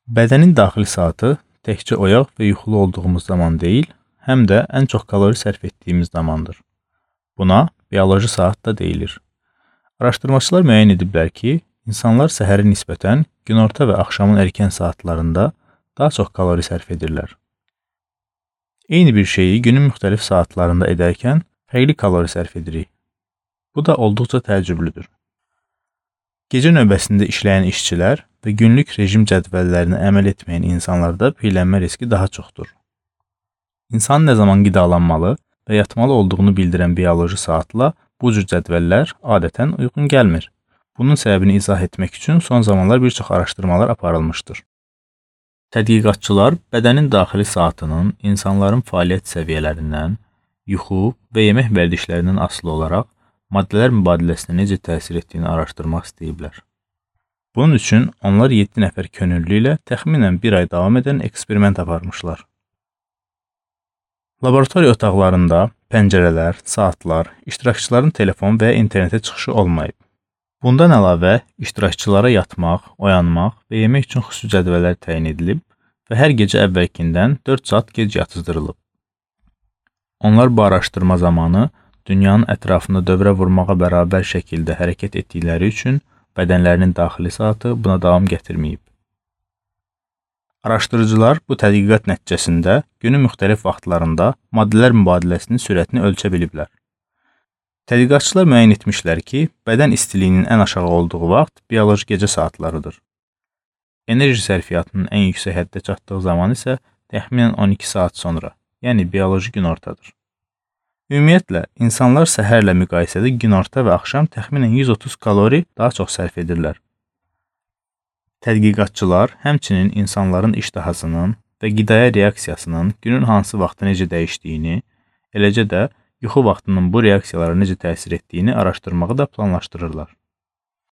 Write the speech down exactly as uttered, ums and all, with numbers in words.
Bədənin daxili saatı təkcə oyaq və yuxulu olduğumuz zaman deyil, həm də ən çox kalori sərf etdiyimiz zamandır. Buna bioloji saat da deyilir. Araşdırmaçılar müəyyən ediblər ki, insanlar səhərə nisbətən günorta və axşamın erkən saatlarında daha çox kalori sərf edirlər. Eyni bir şeyi günün müxtəlif saatlarında edərkən fərqli kalori sərf edirik. Bu da olduqca təəccüblüdür. Gecə növbəsində işləyən işçilər və günlük rejim cədvəllərinə əməl etməyən insanlarda piyələnmə riski daha çoxdur. İnsan nə zaman qidalanmalı və yatmalı olduğunu bildirən bioloji saatla bu cür cədvəllər adətən uyğun gəlmir. Bunun səbəbini izah etmək üçün son zamanlar bir çox araşdırmalar aparılmışdır. Tədqiqatçılar bədənin daxili saatının insanların fəaliyyət səviyyələrindən, yuxu və yemək vərdişlərindən asılı olaraq maddələr mübadiləsinə necə təsir etdiyini araşdırmaq istəyiblər. Bunun üçün onlar yeddi nəfər könüllü ilə təxminən bir ay davam edən eksperiment aparmışlar. Laboratoriya otaqlarında pəncərələr, saatlar, iştirakçıların telefon və internetə çıxışı olmayıb. Bundan əlavə, iştirakçılara yatmaq, oyanmaq və yemək üçün xüsusi cədvəllər təyin edilib və hər gecə əvvəlkindən dörd saat gec yatızdırılıb. Onlar bu araşdırma zamanı dünyanın ətrafında dövrə vurmağa bərabər şəkildə hərəkət etdikləri üçün bədənlərinin daxili saatı buna davam gətirməyib. Araşdırıcılar bu tədqiqat nəticəsində günün müxtəlif vaxtlarında maddələr mübadiləsinin sürətini ölçə biliblər. Tədqiqatçılar müəyyən etmişlər ki, bədən istiliyinin ən aşağı olduğu vaxt bioloji gecə saatlarıdır. Enerji sərfiyyatının ən yüksək həddə çatdığı zaman isə təxminən on iki saat sonra, yəni bioloji günortadır. Ümumiyyətlə, insanlar səhərlə müqayisədə günorta və axşam təxminən yüz otuz kalori daha çox sərf edirlər. Tədqiqatçılar həmçinin insanların iştahasının və qidaya reaksiyasının günün hansı vaxtda necə dəyişdiyini, eləcə də yuxu vaxtının bu reaksiyalara necə təsir etdiyini araşdırmağı da planlaşdırırlar.